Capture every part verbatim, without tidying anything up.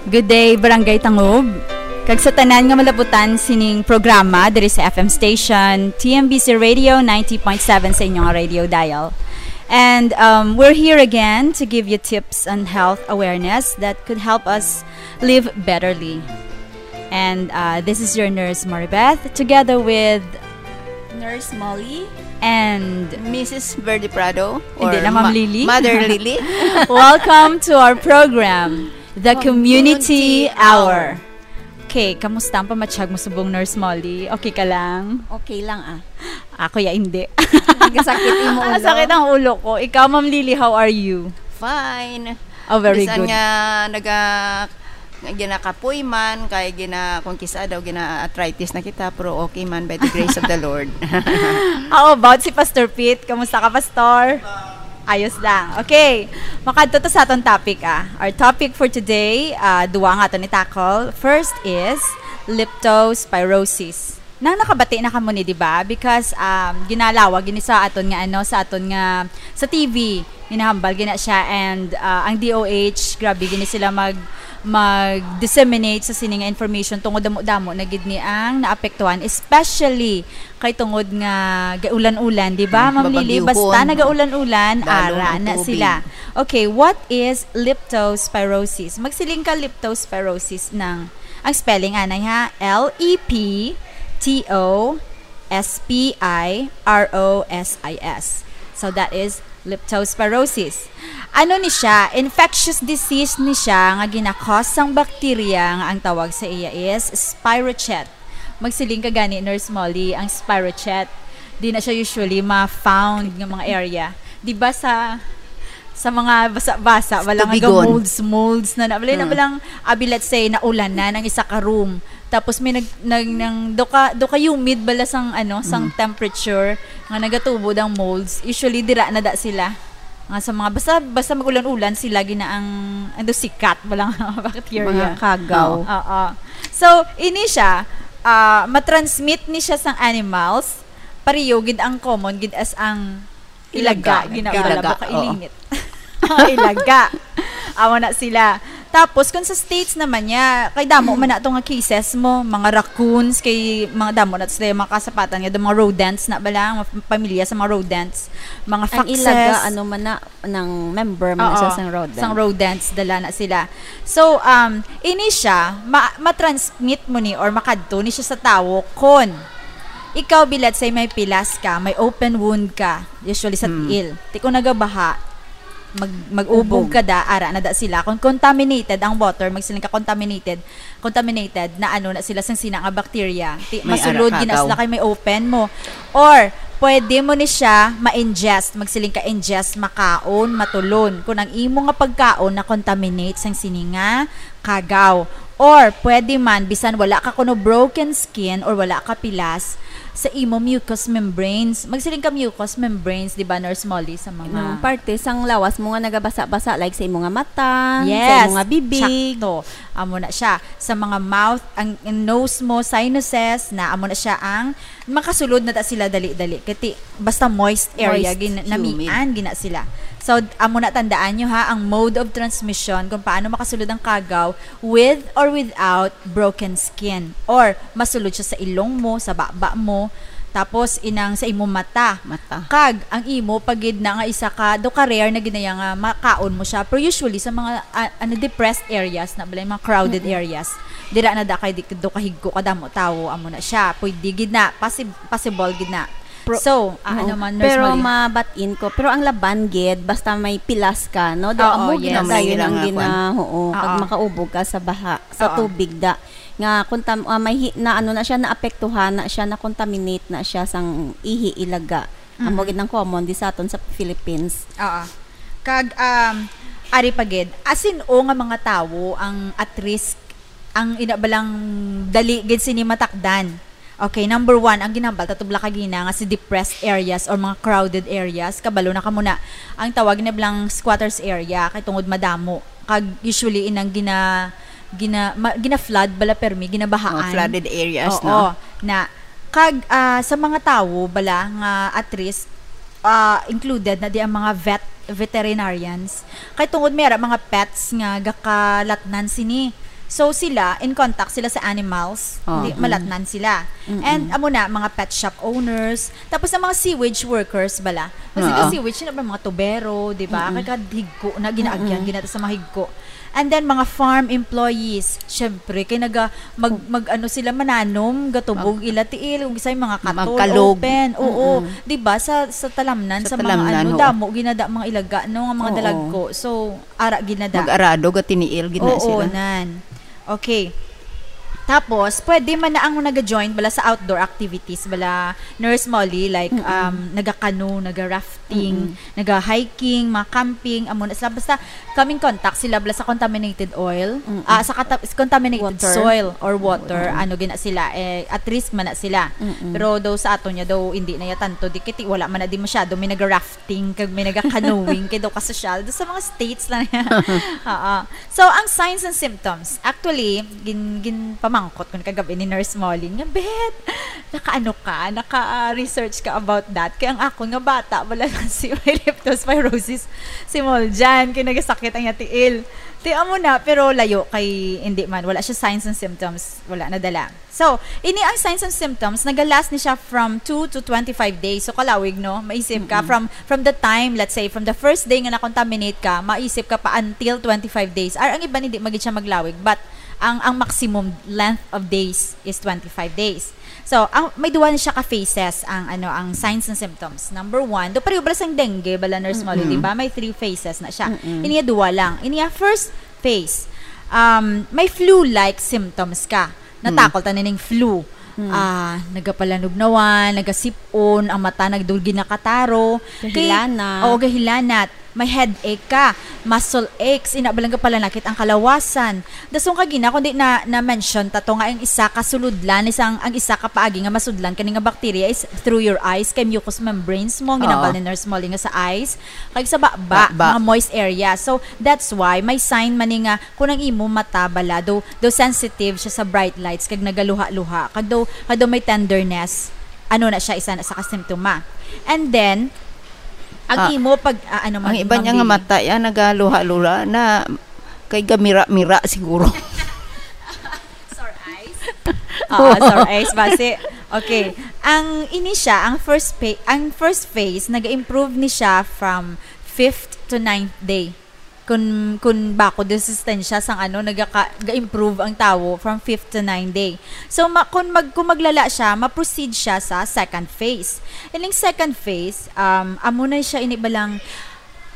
Good day, Barangay Tangub. Kag sa tanan nga malabutan sining programa diri sa F M station, T M B C Radio ninety point seven sa inyong radio dial. And, um, we're here again to give you tips on health awareness that could help us live betterly. And, uh, this is your nurse, Maribeth, together with Nurse Molly and Missus Verde Prado, Hindi or na, Ma'am Ma-, Lily. Mother Lily. Welcome to our program, The Community Community Hour. Hour. Okay, kamusta ang pamatyag mo subong, Nurse Molly? Okay ka lang? Okay lang, ah. Ako ya, hindi. Nagkasakit imo ulo? Ah, sakit ang ulo ko. Ikaw, Ma'am Lily, how are you? Fine. Oh, very Bisan good. Nga naga-, nga ginakapoy man, kay gina-, kung kisa daw gina-arthritis na kita, pero okay man by the grace of the Lord. How about si Pastor Pete? Kamusta ka, Pastor? Ayos lang. Okay. Makadto ta sa aton topic, ah. Our topic for today, ah, duwa nga aton i-tackle. First is leptospirosis. Nang nakabati na kamo ni, di ba? Because, um, ginalawag gini sa aton nga, ano, sa aton nga, sa T V. Ginahambal gina siya, and, ah, ang D O H, grabe gini sila mag, mag-disseminate sa sini nga information tungod damo-damo na gid ni ang naapektuhan, especially kay tungod nga gaulan-ulan, di ba, Mm, Ma'am Lily? Basta babagyuhon, no? Nagaulan-ulan, Lalo ara ng na tubig. Sila. Okay, what is leptospirosis? Magsiling ka leptospirosis ng, ang spelling anay ha, L E P T O S P I R O S I S. So that is leptospirosis. Ano ni siya? Infectious disease ni siya nga gina-cause sang bacteria nga ang tawag sa iya is spirochete. Magsiling ka gani, Nurse Molly, ang spirochete, di na siya usually ma-found nga mga area. Di ba sa, sa mga basa-basa, wala nga Tubigon. Molds, molds na na. Wala na Mm. balang, abi, let's say, naulan na ng isa ka room. Tapos may nag-, nag-, nang do ka, do ka humid bala sang, ano, sang Mm. temperature nga nagatubod ang molds. Usually, dira na da sila. Nga sa mga, basta, basta mag-ulan-ulan, sila gina ang, ano, sikat, wala nga bacteria. Mga kagaw. Oo. So, ini siya, ah, matransmit ni siya sang animals, pareho gid ang common gid as ang ilaga, Ilaga. Gina-, Ilaga, wala ba ka oo. Ilingit? Ilaga. Amo na sila. Tapos, kung sa States naman niya, kay damo man na to nga cases mo, mga raccoons, kay mga damo na sila yung mga kasapatan nga, mga rodents na ba lang, mga pamilya sa mga rodents, mga Ang foxes. Ilaga, ano man na, ng member man na Oo, siya sang rodent. Sang rodents, dala na sila. So, um, ini siya, ma-, matransmit mo ni or makadto ni siya sa tawo kon ikaw, bi, let's say, may pilas ka, may open wound ka, usually sa Hmm. tiil. Ti kung nagabaha, mag-, mag-ubog Ubog. Ka da, ara na da sila. Kung contaminated ang water, magsiling ka contaminated, contaminated na ano na sila sang sina nga bacteria. Ti, May masulod ara gina kagaw. Sila kay may open mo. Or, pwede mo ni siya ma-ingest, magsiling ka ingest, makaon, matulon. Kung ang imo nga pagkaon na-contaminate sang sini nga kagaw. Or, pwede man, bisan wala ka kuno broken skin or wala ka pilas, sa imo mucous membranes. Magsiling ka mucous membranes, di ba, Nurse Molly, sa mga Nung parte sang lawas mo nga nagabasa-basa, like sa imo nga mata, sa Yes, imo nga bibig. Sakto. Amo na siya. Sa mga mouth, ang, ang nose mo, sinuses, na amo na siya ang makasulod na ta sila dali-dali. Kati, basta moist area, Moist, gin-, humid. Namian gina sila. So, amo na tandaan nyo ha, ang mode of transmission, kung paano makasulod ang kagaw with or without broken skin. Or, masulod siya sa ilong mo, sa baba mo, tapos inang sa imo mata. Mata. Kag, ang imo, pagid na nga isa ka, do ka rare na ginaya nga makaon mo siya. Pero usually, sa mga, ah, ano, depressed areas na bala, yung mga crowded Mm-mm. areas, dira na da kay di, do kahigko kadamo tawo, amo na siya. Pwede gid na, possi-, possible gid na. Pro-, So, ah, ano oo. man, Nurse Pero Molly? Mabatin ko, pero ang laban gid, basta may pilas ka, no? Do Oo, amo gid yes. Ang dayon ang kailangan gina-, kuwan. Oo, kag Oo. makaubog ka sa baha, sa Oo. tubig da. Nga, kontam-, ah, may hi-, na ano na siya, naapektuhan na siya, na-contaminate na siya sang ihi ilaga. Amo Mhm. gid ang common di sa aton sa Philippines. Oo. Kag, um, ari pa gid, asin-o nga mga tawo ang at risk, ang ina balang dali gid sini matakdan. Okay, number one, ang ginambal, tatubla ka gina nga si depressed areas or mga crowded areas, kabalo na kamo na ang tawag na blang squatters area, kay tungod madamo. Kag usually inang gina-, gina-, ma-, gina-flood bala permi, ginabahaan. Mga flooded areas, Oo, no? Na, kag, ah, sa mga tawo bala nga at risk, ah, included na di ang mga vet-, veterinarians. Kay tungod may ara mga pets nga gakalatnan sini. So sila, in contact sila sa animals, Oo. Di, malatnan sila. Mm-mm. And amo na, mga pet shop owners, tapos ang mga sewage workers bala. Kasi Oo. Ka sewage, yun ba, mga tubero, di ba? Mm-mm. Kagad higko na ginaagyan, Mm-mm. ginata sa mga higko. And then, mga farm employees, syempre, kay naga, mag, mag, ano sila, mananom, gatubog Mag- ila tiil, kung isa'y mga katon, Magkalog. Open. Oo, Mm-mm. Di ba? Sa, sa talamnan, Sa sa mga talamnan, ano, oo. Damo, ginada mga ilaga, no, nga mga Oo. Dalagko. So, ara ginada. Mag-arado, gatiniil, gina Oo, sila. Nan. Okay. Tapos, pwede man na ang naga-join bala sa outdoor activities, bala Nurse Molly, like, Mm-mm. um, naga-canoe, naga-rafting, Mm-mm. naga-hiking, mga camping, amo na sila. Basta, come in contact sila bala sa contaminated oil, Mm-mm. ah, sa kata-, contaminated Water. Soil or water, Mm-mm. ano gina sila, eh, at risk man na sila. Mm-mm. Pero daw sa aton niya daw, hindi na ya tanto, di kiti, wala man na di masyado, may naga-rafting, kag may naga-canoeing, kay daw kasosyal, daw sa mga states lang niya. Oo. So, ang signs and symptoms, actually, gin-, ginpamangkot ko na kagabi ni Nurse Molly nga, "Bet, nakaano ka, naka-research ka about that?" Kay ang akon nga bata, wala lang si may leptospirosis, si Moljan, kay nagasakit ang iya tiil. Ti amo na, pero layo kay, hindi man, wala siya signs and symptoms, wala nadala. So, ini ang signs and symptoms, nagalast ni siya from two to twenty-five days. So, kalawig, no? Maisip ka, Mm-mm. from, from the time, let's say, from the first day nga na-contaminate ka, maisip ka pa until twenty-five days. Or ang iban, hindi magid siya maglawig, but ang, ang maximum length of days is twenty-five days. So, ang, may duwa na siya ka phases ang, ano, ang signs and symptoms. Number one, do pareho bala sang dengue, bala, Nurse Molly, Mm-mm. di ba? May three phases na siya. Mm-mm. Iniya duwa lang. Iniya first phase, um, may flu-like symptoms ka. Hmm. Natakol ta nining flu. Hmm. Ah, nagapalanugnawan, nagasip-on, ang mata nagdulgi nakataro. Kay, Gahilanat. Oo, gahilanat. May headache ka, muscle aches, ina bala nga palanakit ang kalawasan. Dason kag gina, kundi na, na-mention ta to nga ang isa ka sulodlan, isang, ang isa ka paagi nga masudlan kani nga bacteria is through your eyes, kay mucous membranes mo, ang Oo. ginambal ni Nurse Molly nga sa eyes, kag sa baba, Baba. Mga moist area. So, that's why may sign man ni nga kung ang imo mata bala, daw, daw sensitive siya sa bright lights, kag nagaluha-luha, kag daw, kag daw may tenderness, ano na siya, isa na sa kasimptoma. And then, ang Ah, imo pag, ah, ano, ang mag-, iba niya nga mambili. Mata, ya, nagaluha-luha na kay gamira-mira siguro. Sore eyes? Oo, sore eyes, basi. Okay. Ang ini siya, ang first pa-, ang first phase, nag-improve ni siya from fifth to ninth day. Kun, kun bako resistensya sang ano, nagaka-, ga-improve ang tawo from fifth to ninth day. So, ma-, kun mag-, kun maglala siya, ma-proceed siya sa second phase. Ining second phase, um, amo na siya ini balang,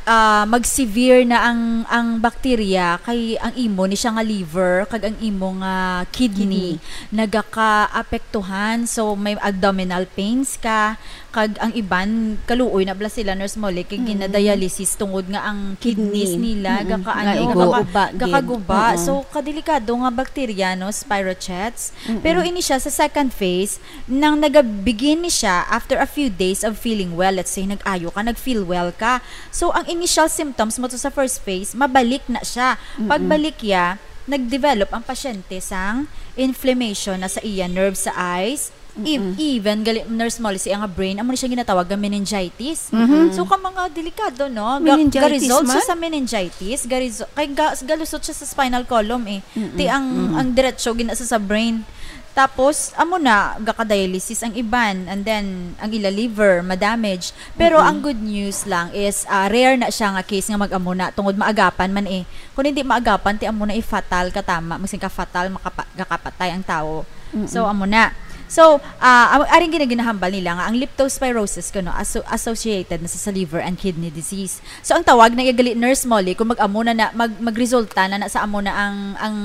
ah, mag-severe na ang, ang bakterya kay ang imo ni siya nga liver kag ang imo nga kidney Kidney. nagaka-apektuhan. So, may abdominal pains ka, kag ang iban, kaluoy na bala sila, Nurse Molly, kay Mm. ginadialysis tungod nga ang kidneys Kidney. nila Mm. gaka-, Nga ano, igo. gaka-, Gakaguba gid. Gakaguba. Oo. So, kadelikado nga bakterya, no, spirochetes. Mm-mm. Pero ini siya sa second phase, nang nagabigin ni siya after a few days of feeling well, let's say, nag-ayo ka, nag-feel well ka. So, ang initial symptoms mo to sa first phase, mabalik na siya. Mm-mm. Pagbalik ya, nag-develop ang pasyente sang inflammation na sa iya nerve sa eyes, Ev-, Mm-mm. even gali, Nurse Molly, sa iya nga brain, amo na siya ginatawag nga meningitis. Mhm. So, ka mga delikado, no? Ga-, Meningitis ga-result siya man? Sa meningitis, ga-resu-, kay ga-, galusot siya sa spinal column, eh. Mm-mm. Ti ang, Mm-mm. ang diretso gina sa, sa brain. Tapos, amo na, gaka-dialysis ang iban, and then, ang ila liver, ma-damage. Pero Mm-mm. ang good news lang is, ah, rare na siya nga case nga mag-amo na, tungod maagapan man, eh. Kung hindi maagapan, ti amo na, eh, fatal ka tama, magsin ka fatal, makapa-, gakapatay ang tawo. Mm-mm. So, amo na. So, ah, am-, aring ginaginahambal nila nga ang leptospirosis kuno aso-, associated na sa, sa liver and kidney disease. So, ang tawag na iya gali, Nurse Molly, kung mag-amo na, na mag-, magresulta na, na sa amo na ang, ang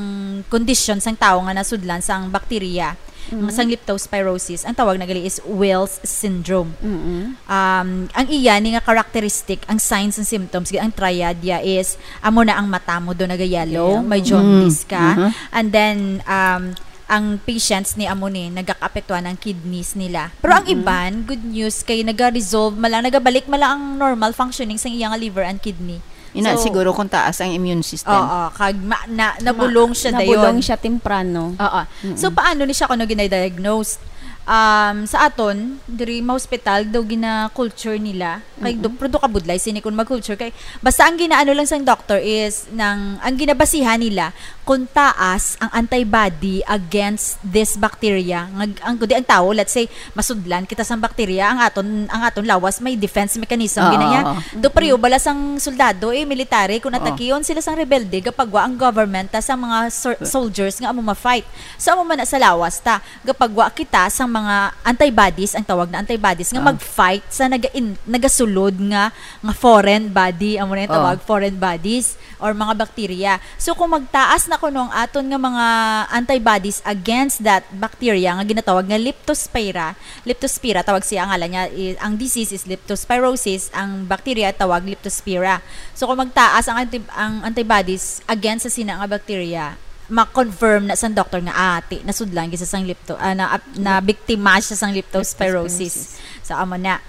kondisyon sang tawo nga nasudlan sang bakterya, Mm. sang leptospirosis, ang tawag na gali is Wells syndrome. Mm-mm. Um, ang iya ni nga characteristic, ang signs and symptoms, ang triad ya is, amo na ang mata mo do nagayellow, Yellow. May jaundice Mm. ka, Uh-huh. and then, um, ang patients ni amo ni nagakaapektuhan ang kidneys nila. Pero ang Mm-mm. iban, good news kay naga-resolve man lang, nagabalik man lang ang normal functioning sa iya nga liver and kidney. Ina, So, siguro kung taas ang immune system. Oo, kag ma-, na, nabulong Ma-, siya nabulong dayon. Siya temprano. Oo. Mm-mm. So, paano ni siya kuno ginadiagnose? Um, sa aton, diri ma-hospital daw gina-culture nila. Kay Mm-mm. do-, pero do kabudlay sini kung mag-culture. Kay basta ang ginaano lang sang doctor is nang, ang ginabasihan nila kung taas ang antibody against this bacteria, nga ang, kundi ang tawo, let's say, masudlan kita sang bacteria, ang aton, ang aton lawas may defense mechanism, Oo, ginaya. Oo. To, pareho bala sang soldado, eh, military, kung Oo. atakion sila sang rebelde, gapagwa ang government ta sa mga sol-, soldiers nga amo ma-fight. So, amo man na sa lawas ta, gapagwa kita sang mga antibodies, ang tawag na antibodies, nga Ah. mag-fight sa naga-in-, nagasulod nga, nga foreign body, amo na yung Oo. tawag, foreign bodies. Or mga bakterya. So, kung magtaas na kuno ang aton nga mga antibodies against that bacteria nga ginatawag nga Leptospira, Leptospira, tawag siya, ang ngalan niya, i-, ang disease is leptospirosis, ang bacteria tawag Leptospira. So, kung magtaas ang anti-, ang antibodies against sa sina nga bacteria, ma-confirm na sang doktor nga, ah, ti, nasudlan gid sa sang lepto, ah, na, ap-, na biktima siya sang leptospirosis. Leptospirosis. So, amo na.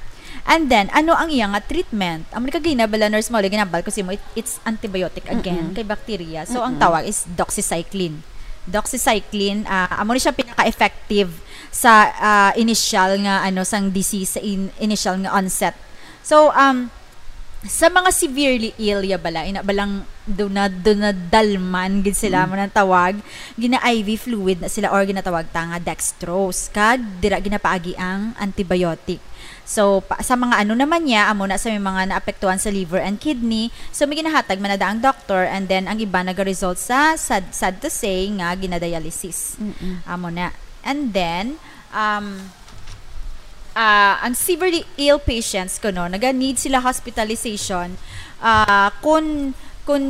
And then, ano ang iya nga treatment? Amo ni kagina bala, Nurse Molly, ginambal ko sa imo, it, it's antibiotic again Mm-mm. kay bacteria. So, ang Mm-mm. tawag is doxycycline. Doxycycline, ah, amo ni siya pinaka-effective sa, ah, initial nga, ano, sang disease, sa in-, initial nga onset. So, um, sa mga severely ill, ya bala, ina balang duna-, dunadalman gid sila, Mm. mo nang tawag, gina-I V fluid na sila or ginatawag ta nga dextrose. Kag dira ginapaagi ang antibiotic. So, pa, sa mga ano naman niya, amo na sa may mga naapektuhan sa liver and kidney. So, may ginahatag man na da ang doctor, and then ang iba nagaresult sa, sad, sad to say, nga ginadialysis. Mm-mm. Amo na. And then, um, ah, ang severely ill patients kuno, naga-need sila hospitalization, ah, kun, kun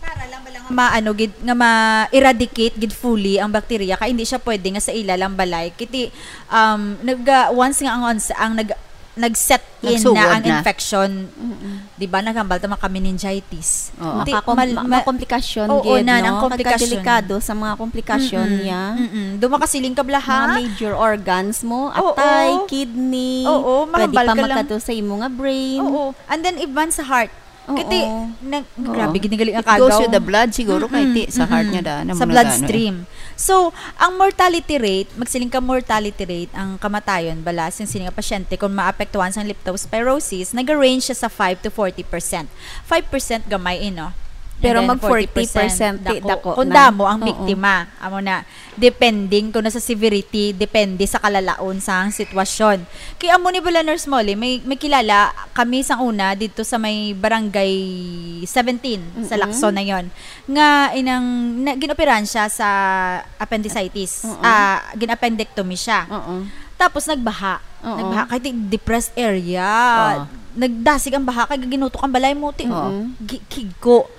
para lang bala nga ma-, ano gid, nga ma-eradicate gid fully ang bacteria, kay hindi siya pwede nga sa ila lang balay. Kiti, um, nag, ah, once nga ang ons-, ang nag, nag-set in Nagsugod na ang na. infection, Mm-mm. di ba, naghambal ta maka-meningitis. Oo. Ti, Makakom-, mal-, ma-, ma-, komplikasyon oo, gid, na, no? ang komplikasyon. Kagkadelikado sa mga komplikasyon Mm-mm. niya. Mm-mm. Do makasiling ka bala, ha? Mga major organs mo, Oo. atay, kidney, Oo, pwede mahambal pa ka lang. magkadto sa imo nga brain. Oo. And then, even sa heart. Oo. Kiti, nag-, Oo. grabe, gid ni gali ang It goes kagaw. with the blood, siguro, kay Mm-mm, ti, sa heart mm-mm. niya, da, na Sa mo na, da, ano, eh. bloodstream. So, ang mortality rate, magsiling ka mortality rate, ang kamatayon, bala, sing sini nga pasyente, kung maapektuhan sang leptospirosis, naga-range siya sa five to forty percent. Five percent gamay, eh, no? And Pero then mag forty percent, forty percent, ti, dako. dako Kung na. damo ang Oo. biktima, amo na. Depending kuno sa severity, depende sa kalalaon sang sitwasyon. Kay amo ni bala, Nurse Molly, may, may kilala kami sang una didto sa may barangay seventeen, sa Mm-mm. Lacson na yon, nga inang, na, gin-operahan siya sa appendicitis. Mm-mm. Ah, gin-appendectomy siya. Mm-mm. Tapos nagbaha. Oo. Nagbaha kay ti-, depressed area. Oo. Nagdasig ang baha kay ginutok ang balay mo, ti-, Oo. gi-, kigko.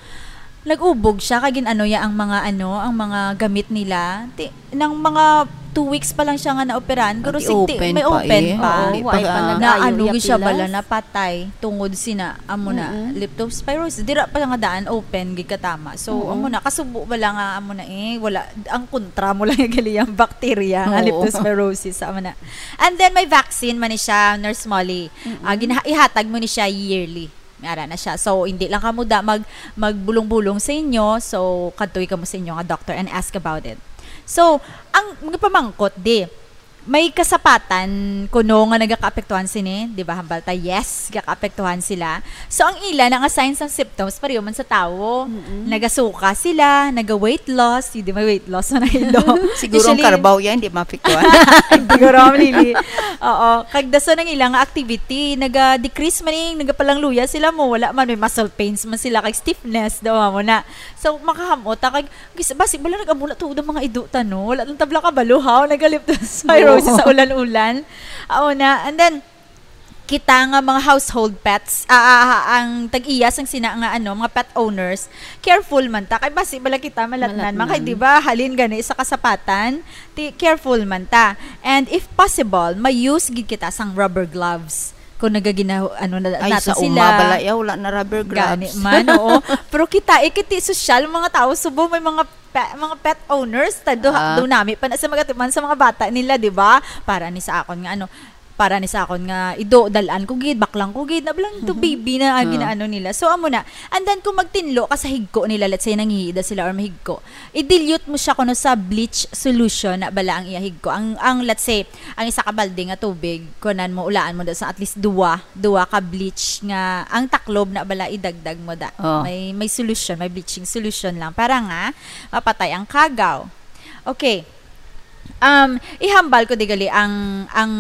Nag-ubog siya kay gin-ano ya ang mga ano, ang mga gamit nila. Ti-, nang mga two weeks pa lang siya nga naoperahan, pero Pati sigti-, open may pa open eh. pa. Oo, Hindi wa pa pa ga- na nag-ayo ano ya gid siya pilas. bala, napatay tungod sina, amo na, Mm-mm. leptospirosis. Dira pa nga daan, open gid katama. So, Oo. amo na, kasubo bala nga, amo na eh, wala, ang kontra mo lang yung gali yung bacteria nga Oo. leptospirosis, amo na. And then, may vaccine man ni siya, Nurse Molly. Mm-mm. Ah, ginaha-, ihatag mo ni siya yearly. Ara na siya. So, hindi lang kamo da mag-, magbulong-bulong sa inyo. So, kadtuy kamo sa inyo nga doctor and ask about it. So, ang mga pamangkot, di, may kasapatan kuno nga nagakaapektuhan sini, di ba? Hambal ta, yes, gakaapektuhan sila. So, ang ila na nga signs and symptoms, pareho man sa tawo. Mm-mm. Nagasuka sila, naga-weight loss, hindi may weight loss na ilo. Siguro ang Usually, karbaw yan, di maapektuhan. Siguro, Ma'am Lily. Oo. Kag dason ang ilang activity, naga-decrease man ning, nagapalangluya sila mo, wala man, may muscle pains man sila, kag stiffness, daw mo na. So, makahamot, ah, kag, gis-, basi, wala nag-amo na tuod ang mga ido ta, no? Wala nang tabla ka baluhaw, nag-leptospirosis Oo. sa ulan-ulan. Oo na. And then, kita nga mga household pets, ah, ah, ah, ang tag-iya sang sina nga, ano, mga pet owners, careful man ta. Kay basi bala kita malatnan, man kay, Malatnan. di ba, halin gani sa kasapatan, ti, careful man ta. And if possible, may use gid kita sang rubber gloves. Kung nagagina-, ano na, Ay, nato sa sila. uma bala, ya, wala na rubber Gani gloves. man, oo. Pero kita, eh, kiti sosyal, mga tao, subo, may mga pe-, mga pet owners, ta, do, Ah. do nami pa na sa magatuman sa mga bata nila, di ba? Para ni sa akon nga, ano, para ni sa akon nga ido, dal-an ko gid, baklang ko gid, na bala to Mhm. baby na, ah, Ah. ginaano nila. So, amo na. And then, kung magtinlo ka sa higko nila, let's say, nangiida sila or mahigko, i-dilute mo siya kuno sa bleach solution na bala ang iya higko. Ang, ang, let's say, ang isa ka balde nga tubig, kunan mo, ulaan mo daw sa at least duwa, duwa ka bleach nga ang taklob na bala idagdag mo da. Oh. May, may solution, may bleaching solution lang para nga mapatay ang kagaw. Okay. Um, ihambal ko digali ang, ang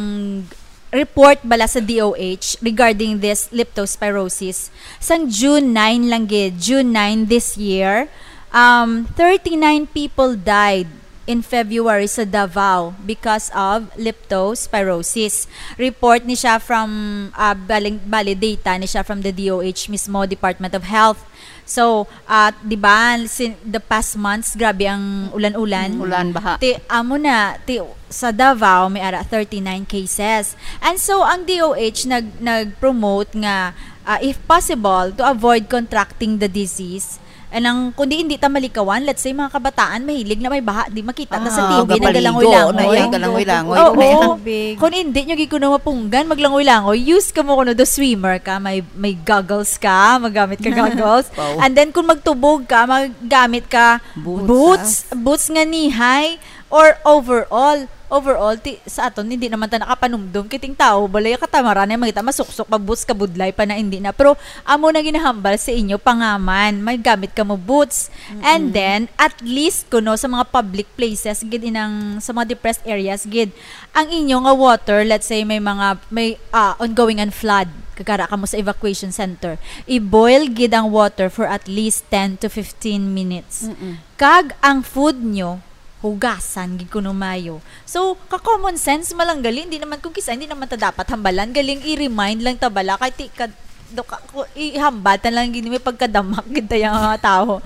report bala sa D O H regarding this leptospirosis. Sang June nine lang gid, June nine this year, um, thirty-nine people died in February sa Davao because of leptospirosis. Report ni siya from, ah, baling, bali data ni siya from the D O H mismo, Department of Health. So, ah, di ba, sin-, the past months, grabe ang ulan-ulan. Mm, ulan, baha. Ti, amo na, ti, sa Davao, may ara thirty-nine cases. And so, ang D O H nag-, nag-promote nga, ah, if possible, to avoid contracting the disease. And ang, kundi hindi ta malikawan, let's say, mga kabataan, mahilig na may baha, di makita ta sa Ah, T V, gapaligo, nagalangoy-langoy. na iya, galangoy-langoy, Oo. na iya. Tubig. Kung hindi nyo gid kuno mapunggan, maglangoy-langoy, use ka mo kuno do swimmer ka, may, may goggles ka, magamit ka goggles. Wow. And then, kung magtubog ka, magamit ka Boots, boots, ah. boots nga nihay, or overall. Overall, ti, sa aton, hindi naman ta nakapanumdom. Kiting tao, balay katamaran na, magita masuksok, magboots ka budlay pa na, hindi na. Pero, amo na ginahambal sa inyo, pangaman, may gamit ka mo boots. And Mm-mm. then, at least, kuno, sa mga public places, gid inang, sa mga depressed areas, gid, ang inyo nga water, let's say, may mga, may, ah, ongoing and flood, kagara ka mo sa evacuation center, i-boil gid ang water for at least ten to fifteen minutes. Mm-mm. Kag ang food nyo, hugasan gid kuno mayo. So, ka common sense malanggali, hindi naman kung kisa, hindi naman ta dapat hambalan, galing i-remind lang ta bala, kay ti, ka, do ka, ko, ihambal ta lang gid, may pagkadamak gid tayo nga mga tao.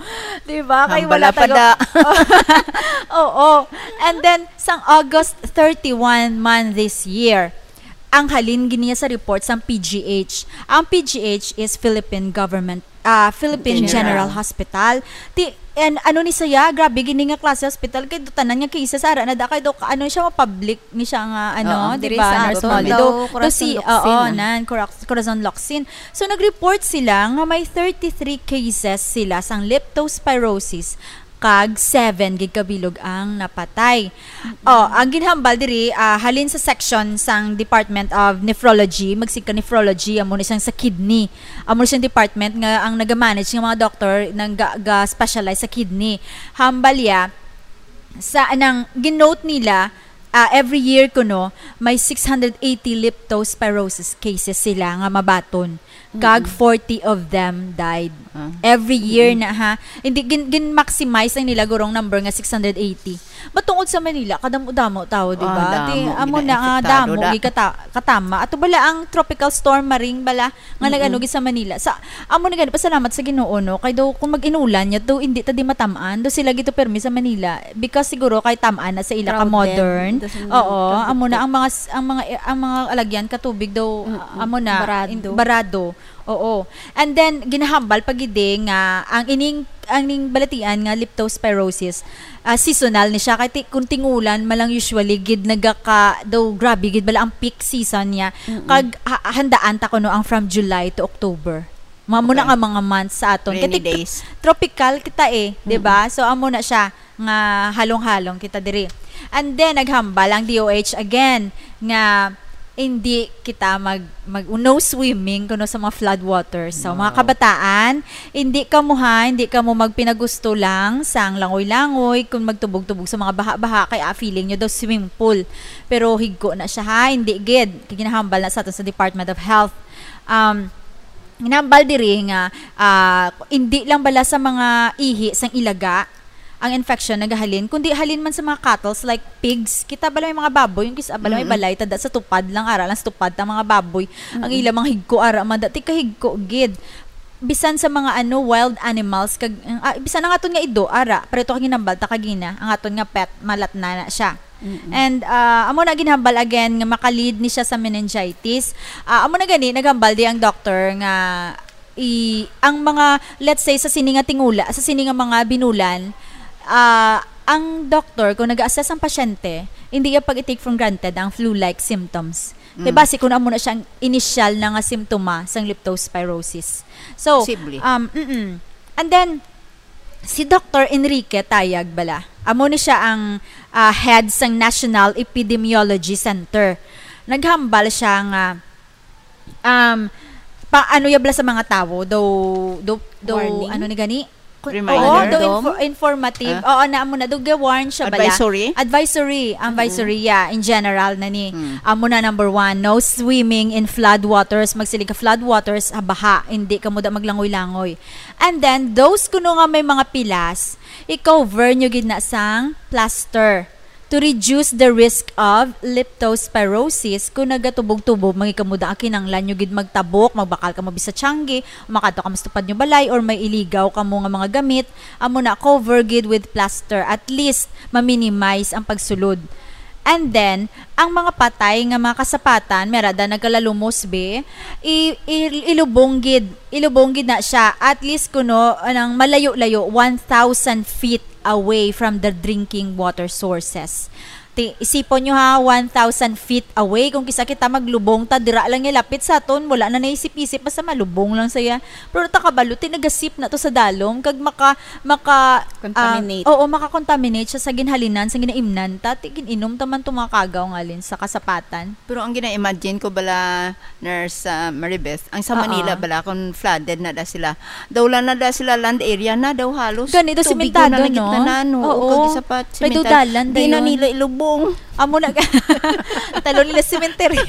Di ba? Kay Hambala wala pa tayo da. Oo. And then, sang August thirty-one man this year, ang halin gid niya sa report sang P G H. Ang P G H is Philippine Government, ah, Philippine General. General Hospital. Ti, and ano ni siya, grabe gini nga klase hospital, kay do tanan nga cases ara na da, kay do, ano siya, public ni siya nga, ano, Oo, di diri ba, sa nurse Aton, home. daw Do, do Corazon si, Locsin. oo, nan, Cora-, Corazon Locsin. So, nag-report sila nga may thirty-three cases sila sang leptospirosis, kag seven gid kabilog ang napatay. Mm-mm. Oh, ang ginhambal diri, ah, halin sa section sang Department of Nephrology, magsigka nephrology, amo ni siyang sa kidney. Amo ni siyang department nga ang nagamanage nga mga doktor nang ga-, ga-specialize sa kidney. Hambal ya, sa anang ginote nila, ah, every year kuno, may six hundred eighty leptospirosis cases sila nga mabaton. Kag Mm-mm. forty of them died. Ah. Every year Mm-mm. na, ha. Hindi, gin-, gin-maximize ang nila gurong number nga six hundred eighty. Matungod sa Manila, kadamo-damo tao, di Ah, ba? damo, Ti, amo na nga, gina-infektado damo, da. gikata-, katama. Ato bala ang Tropical Storm Maring bala, nga Mm-mm. nag-ano gid sa Manila. Sa, amo na gani, pasalamat sa Ginoo, no? Kay daw, kung mag-inulan niya, daw, hindi ta di matamaan. Daw sila gito permi sa Manila. Because siguro kay tamaan na sa ila ka Crowded. modern. Daw sa Oo, Tropical. amo na ang mga s-, ang mga, ang mga alagyan ka tubig daw, Mm-mm. amo na, Barado. in-, barado. Oo. And then, ginahambal pa gid eh nga ang ining, ang ining balatian nga leptospirosis, ah, seasonal ni siya. Kay ti-, kung tingulan man lang usually gid nagaka-, daw grabe gid bala ang peak season niya. Mm-mm. Kag ha-, handaan ta kuno ang from July to October. Mao na Okay. nga mga months sa aton. Kay Rainy ti-, days. tropical kita eh, di ba? Mm-mm. So, amo na siya nga halong-halong kita diri. And then, naghambal ang D O H again nga hindi kita mag, mag, no swimming kuno sa mga flood waters. So, mga Wow. kabataan, hindi kamo ha, hindi kamo magpinagusto lang sang langoy-langoy kung magtubog-tubog sa mga baha-baha kay, ah, feeling nyo daw swimming pool. Pero higko na siya ha, hindi gid. Kay ginahambal na sa ato sa Department of Health. Um, ginahambal diri nga, ah, hindi lang bala sa mga ihi sang ilaga ang infection nagahalin, kundi halin man sa mga cattles like pigs. Kita bala may mga baboy, yung kis-, bala may Mm-mm. balay, tada sa tupad lang, ara lang sa tupad ta mga baboy. Ang Mm-mm. ila mga higko, ara man, dati kahigko gid. Bisan sa mga ano, wild animals, kag, ah, bisan ang aton nga ido, ara, pero ito kag ginambal ta kagina, ang aton nga pet, malat na na siya. Mm-mm. And, ah, amo na ginhambal again nga makalid ni siya sa meningitis. Ah, amo na gani, naghambal di ang doctor nga i-, ang mga, let's say, sa sini nga tingula, sa sini nga mga binulan, ah, ang doktor, kung nag-assess ang pasyente, hindi iya pag-take for granted ang flu-like symptoms. Kay Mm. basi kung amo na siya ang initial na nga simptoma sang leptospirosis. So, Posible. um, mm-mm. And then, si Doctor Enrique Tayag bala, amo ni siya ang, ah, head sang National Epidemiology Center. Naghambal siya nga, um, pa, ano ya bala sa mga tawo, daw, daw, daw, Warning? ano ni gani? Kun-, Reminder? Oo, daw Dom? info-, informative. Ah? Oo, na amo na, daw ga-warn siya bala. Advisory? Advisory, advisory, Mm. yeah, in general na ni. Mm. Amo na, number one, no swimming in flood waters. Magsiling ka flood waters, ha, baha. Hindi kamo da maglangoy-langoy. And then, those kuno nga may mga pilas, i-cover nyo gid na sang plaster to reduce the risk of leptospirosis. Kung nagatubog-tubog, mangikamuda ang kinanglan nyo gid magtabok, magbakal kamo bisa tiyanggi, makadto kamo sa tupad nyo balay, or may iligaw kamo nga mga gamit, amo na, cover gid with plaster. At least, ma-minimize ang pagsulod. And then, ang mga patay nga mga kasapatan, merada nagkalalumos, be, i-, i-, ilubong gid, ilubong gid na siya. At least kuno, anang malayo-layo, one thousand feet away from the drinking water sources. Ti, isipon nyo ha, one thousand feet away. Kung kisa kita maglubong ta, dira lang ilapit sa aton, wala na naisip-isip, basta malubong lang saya. Pero ta kabalo, ti nagasip na to sa dalom, kag maka, maka, ah, Contaminate. Oo, maka-contaminate siya sa ginhalinan, sa ginaimnan ta, ti gin-inom ta man to mga kagaw ngalin sa kasapatan. Pero ang gina-imagine ko bala, Nurse, ah, Maribeth, ang sa Oo. Manila bala, kung flooded na da sila, daw wala na da sila land area na, daw halos Gani, daw tubigon na sementado, lang no? gitna na, no? Oo. Oo, kag isa pa, Kay daw sementar-, dalan di na dayon. nila ilubong. Amo na, talo nila sementeryo.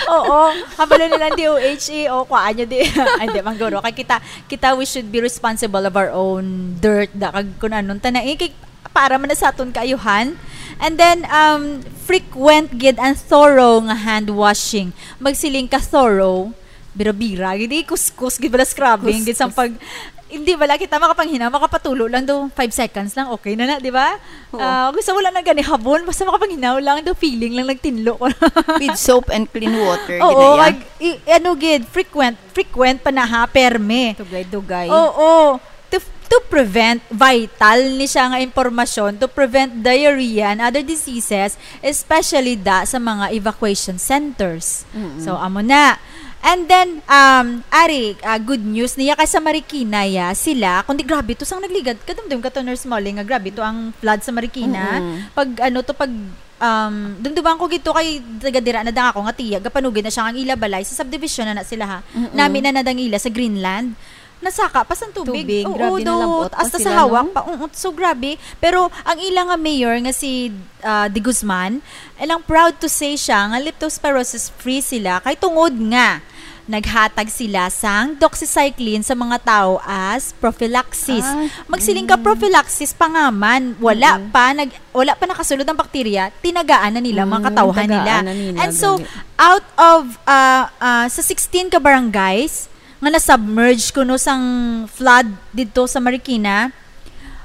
Oo, kabalo nila ang D O H E, o, kuhaan nyo di. Ay, di, mangguro. Kay kita, kita, we should be responsible of our own dirt, da, kag kung anong tanan. Eh, kay, para man na sa aton kaayuhan. And then, um, frequent gid and thorough nga hand washing. Magsiling ka thorough, bira-bira gid, eh, kuskus gid bala, scrubbing gid sang Kuskus. pag, hindi bala kita makapanghinaw, makapatulo lang do, five seconds lang, okay na na, di ba? Oo. Ah, gusto wala na gani habon, basta makapanghinaw lang do, feeling lang nagtinlo ko. With soap and clean water, Oo, ginaya. Mag, i, ano gid, frequent, frequent pa na ha, perme. Dugay-dugay. Oo. To, to prevent, vital ni siya nga impormasyon, to prevent diarrhea and other diseases, especially da sa mga evacuation centers. Mm-mm. So, amo na. And then, um, ari, ah, good news niya kay sa Marikina, ya, sila, kundi grabe to sang nagligad, kadumdum ka to, Nurse Molly, nga grabe to ang flood sa Marikina. Mm-mm. Pag, ano to, pag, um, dumduman ko gito kay taga dira na dang ako nga tiya, gapanugid na siya ang ila balay, sa subdivision na na sila, ha. Mm-mm. Nami na na dang ila sa Greenland. Nasaka pa sang tubig. Tubig, Oo, grabe, do, nalabot pa hasta sila, sa hawak no? pa. Oo, so grabe. Pero ang ila nga mayor nga si, ah, De Guzman, ilang proud to say siya nga leptospirosis free sila kay tungod nga naghatag sila sang doxycycline sa mga tao as prophylaxis. Ah, Magsiling ka mm. prophylaxis pa nga man, wala Mm-mm. pa nag, wala pa nakasulod ang bakterya, tinagaan na nila, mga Mm, katawhan nila. tagaan na nila, And so, gani. out of, ah, ah, sa sixteen ka barangays nga na-submerge kuno sang flood didto sa Marikina,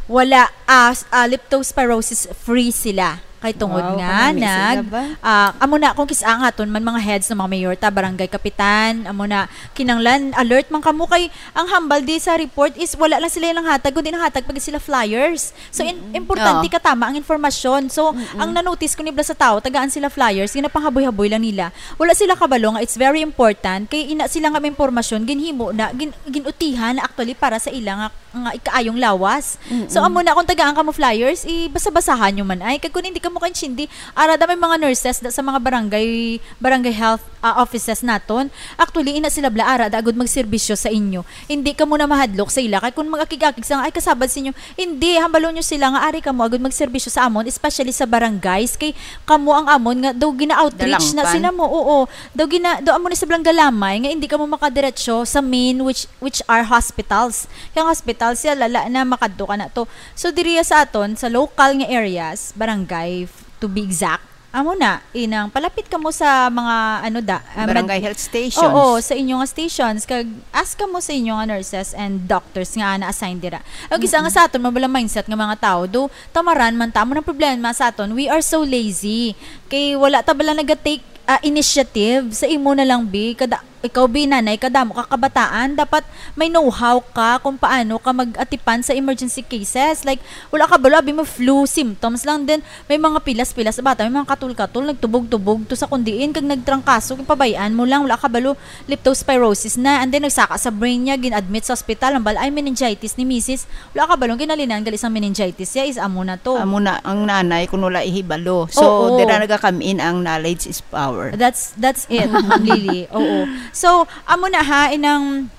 wala, ah, s-, ah, leptospirosis free sila. Kay tungod Wow, nga kanami sila nag, ba? ah, amo na, kung kis-, ang aton man mga heads ng mga mayor ta, barangay kapitan, amo na, kinanglan, alert man kamo kay ang hambal di sa report is wala lang sila nanghatag, kundi nanghatag pa gid sila flyers. So, in-, Mm-mm. importante Oo. katama ang informasyon. So, Mm-mm. ang na-notice ko ni bala sa tao, tagaan sila flyers, ginapanghaboy-haboy lang nila. Wala sila kabalo nga it's very important, kay ina sila nga may impormasyon, ginhimo na, gin-, ginutihan na actually para sa ila nga, nga ikaayong lawas. Mm-mm. So, amo na, kung tagaan kamo flyers, i-basa-basahan nyo man ay. Kag kung hindi kamo kaintindi, ara da may mga nurses da sa mga barangay, barangay health, ah, offices naton. Actually, ina sila bala ara da agud magserbisyo sa inyo. Hindi kamo na mahadlok sa ila. Kay kung mag-akig-akig sa nga, ay, kasabad sa inyo, hindi, hambalon nyo sila nga ari kamo agud magserbisyo sa amon, especially sa barangays. Kay kamo ang amon nga daw gina-outreach na Dalangpan. sila mo. Oo, daw gina-, daw amo ni sa Blangalamay nga hindi kamo makadiretso sa main, which, which are hospitals. Kay ang hospital siya, lala na, makadto ka na to. So, diriya sa aton, sa local nga areas, barangay, to be exact, amo na, inang palapit kamo sa mga, ano da, ah, Barangay med-, health stations. Oo, sa inyo nga stations, kag ask kamo sa inyo nga nurses and doctors nga na-assign dira. Ang isa nga Mm-mm. sa aton, mabala mindset nga mga tao, do, tamaran man ta, amo nang problema sa aton, we are so lazy. Kay wala ta bala naga-take, ah, initiative sa imo na lang, bi, kada, Ikaw, bi, nanay ka, damo ka kabataan, dapat may know-how ka kung paano ka mag-atipan sa emergency cases. Like, wala ka balo, abi mo flu symptoms lang, then may mga pilas-pilas sa bata, may mga katul-katul, nagtubog-tubog to sa kundiin, kag nagtrangkaso, kag pabayaan mo lang, wala ka balo, leptospirosis na, and then nagsaka sa brain niya, gin-admit sa ospital, ang bal-, ay, meningitis ni misis, wala ka balo, ginalinan gali sang meningitis siya, is amo na to. Amo na ang nanay kung wala ihibalo. So, Oo. dira nagakam-in ang knowledge is power. That's, that's it, Ma'am Lily. Oo. So, amo na ha, inang,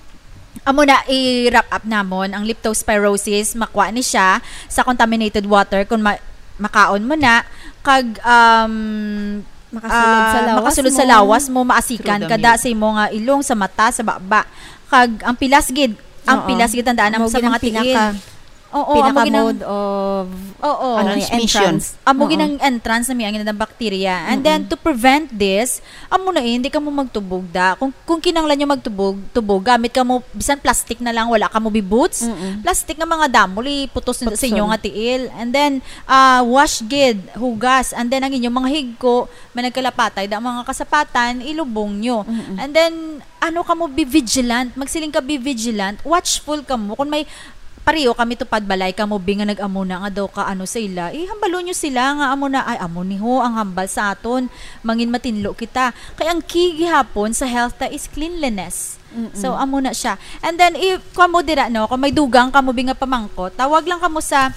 amo na i-wrap up namon ang leptospirosis, makuha ni siya sa contaminated water kung ma-, makaon mo na, kag, um, Makasulod sa ah, lawas makasulod sa mo. lawas mo, maasikan Through the kada milk. sa imo nga ilong, sa mata, sa baba. Kag ang pilas gid, ang Oo. pilas gid, tandaan Amo mo sa gid ang mga tiil. pinaka- Oo, amo pinaka gid ang mode of, Oo. ano, Transmission. entrance. Amo Oo. gid ang entrance na may angin ng bacteria. And Mm-mm. then, to prevent this, amo na, eh, hindi ka mo magtubog da. Kung, kung kinanglan nyo magtubog, tubog, gamit ka mo, bisan plastic na lang, wala ka mo bi-boots. Mm-mm. Plastic nga mga damol, iputos sa inyo Putson. nga tiil. And then, ah, wash gid, hugas. And then, ang inyong mga higko, may nagkalapatay, da mga kasapatan, ilubong nyo. Mm-mm. And then, ano ka mo, be vigilant. Magsiling ka, be vigilant. Watchful ka mo. Kung may pareho kami tupad balay ka mo, bi nga nag-amo na nga daw ka ano sa ila, ihambalo nyo sila nga amo na, ay, amo ni ho ang hambal sa aton. Mangin matinlo kita. Kay ang key gihapon sa health ta is cleanliness. Mm-mm. So, amo na siya. And then, if kamo dira, no, kung may dugang kamo bi nga pamangkot, tawag lang kamo sa,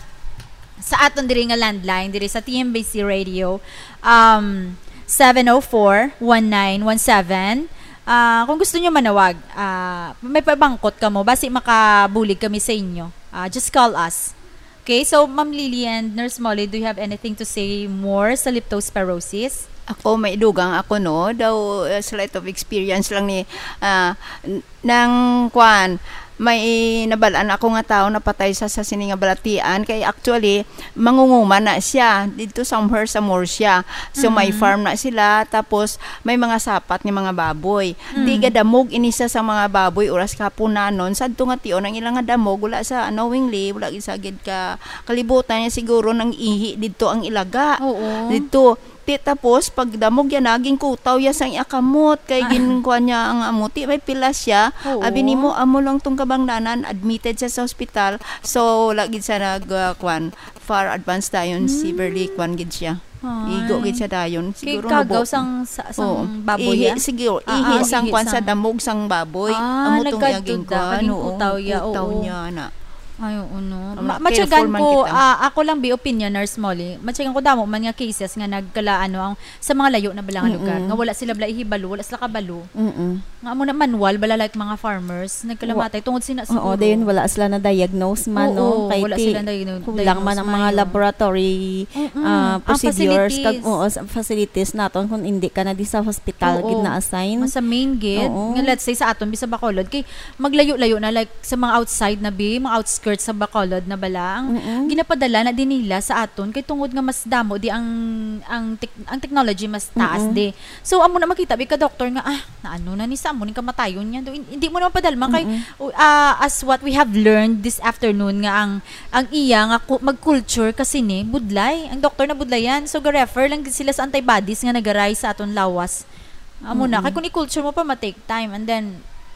sa aton diri nga landline, diri sa T M B C Radio, um, seven oh four, one nine one seven. Ah, kung gusto nyo manawag, ah, may pabangkot kamo, basi makabulig kami sa inyo. Ah, just call us. Okay, so Ma'am Lily and Nurse Molly, do you have anything to say more sa leptospirosis? Ako, may dugang ako, no? Daw, uh, slight of experience lang ni, ah, n-, nang, kwan, may nabalaan ako nga tao napatay sa, sa sini nga balatian. Kay actually, mangunguma na siya. Dito somewhere sa Murcia. So, may Mhm. farm na sila. Tapos, may mga sapat nga mga baboy. Mm. Tiga damog ini sa, sa mga baboy, oras kapunanon. Sadto nga tion, ang ilang nga damog, wala sa, knowingly, wala gid sa gid ka kalibutan niya siguro nang ihi didto ang ilaga. Oo. Didto. Ti, tapos, pag damog yan, naging kutaw ya sang iya kamot. Kay Ah. ginkuha niya ang amo. Ti, may pilas siya. Oo. Abi nimo, amo lang tong kabangdanan, admitted siya sa hospital. So, wala gid siya nag, ah, kwan, far advance dayon, Hmm. severely kwan gid siya. Ah. Igo gid siya dayon. Kay Siguro kagaw nabo-, sang, sa, sang Oo. baboy, Ihi, ah? sige, Ah, ihi ah, sang ihi kwan sa sang damog sang baboy. Ah, Amo tong nagkadto iyang da, kwan, naging oo, kutaw ya, kutaw oo. niya na. Ay, oo, no. Ang Ma-, mga matyagan careful man ko, kita. ah, ako lang, bi, opinion, Nurse Molly, matyagan ko damo man nga cases nga nagkala, ano, ang, sa mga layo na bala nga Mm-mm. lugar, nga wala sila bala ihibalo, wala sila kabalo. Mm-mm. Nga amo na manual bala, like, mga farmers, nagkalamatay Wa-, tungod sina oo, siguro. Dayon wala sila na-diagnose man, Oo, no? Kay wala ti sila na-diagnose kulang man ang man mga kayo. laboratory, Mm-mm. ah, Ang procedures, kag, facilities. oo, sa facilities naton kung hindi ka na di sa hospital, Oo. gid na-assign. Mas sa main gid, Oo. nga let's say sa aton, bisa Bacolod, kay maglayo-layo na, like, sa mga outside na bi, mga outskirts sa Bacolod na bala, ang Mm-mm. ginapadala na din nila sa aton, kay tungod nga mas damo di ang, ang tek-, ang technology mas taas Mm-mm. di. So, amo na makita, bi ka doktor nga, ah, naano na ni sa amo ning kamatayon niya. Do, hin-, hindi mo naman padalma kay, Mm-mm. uh, ah, as what we have learned this afternoon nga ang, ang iya nga ku-, mag-culture kasi ni, budlay. Ang doktor na budlayan. So, ga-refer lang gid sila sa antibodies nga nagaray sa aton lawas. Amo na. Mm-mm. Kay kung i-culture mo pa, ma-take time. And then,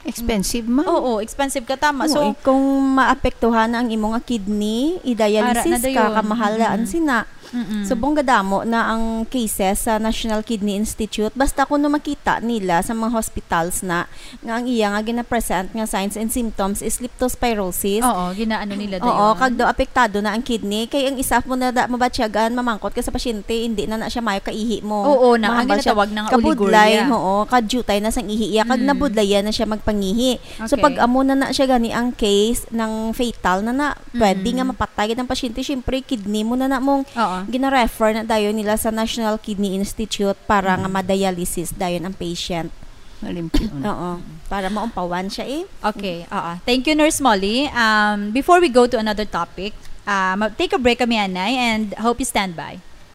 Expensive man. Oo, expensive ka, tama. Oo, So, eh, kung maapektuhan na ang imo nga kidney, i-dialysis Ara na ka, dayon. kamahalaan Mm-mm. sina. Mm-mm. Subong gadamo na ang cases sa National Kidney Institute. Basta kuno makita nila sa mga hospitals na nga ang iya nga gina-present nga signs and symptoms is leptospirosis. Oo, ginaano nila Oo, dayon. kag daw apektado na ang kidney. Kay ang isa mo na da mabatyagan, mamangkot ka sa pasyente, hindi na na siya mayo kaihi mo. Oo, na, ang Mahambal siya. ginatawag na nga Kabudlay, oliguria. oo, kadutay na sang ihi iya, kag Mm. nabudlayan na siya magpangihi. So, Okay. pag amo na na siya gani ang case ng fatal na na, pwede Mm. nga mapatay gid ang pasyente. Siyempre, kidney mo na na mong Oo. gina-refer na dayon nila sa National Kidney Institute para nga Mm. ma-dialysis dayon ang patient. Malimpyo. Oo, para maumpawan siya eh. Okay, oo. Thank you, Nurse Molly. Um, before we go to another topic, uh, ma-, take a break kami, anay, and hope you stand by.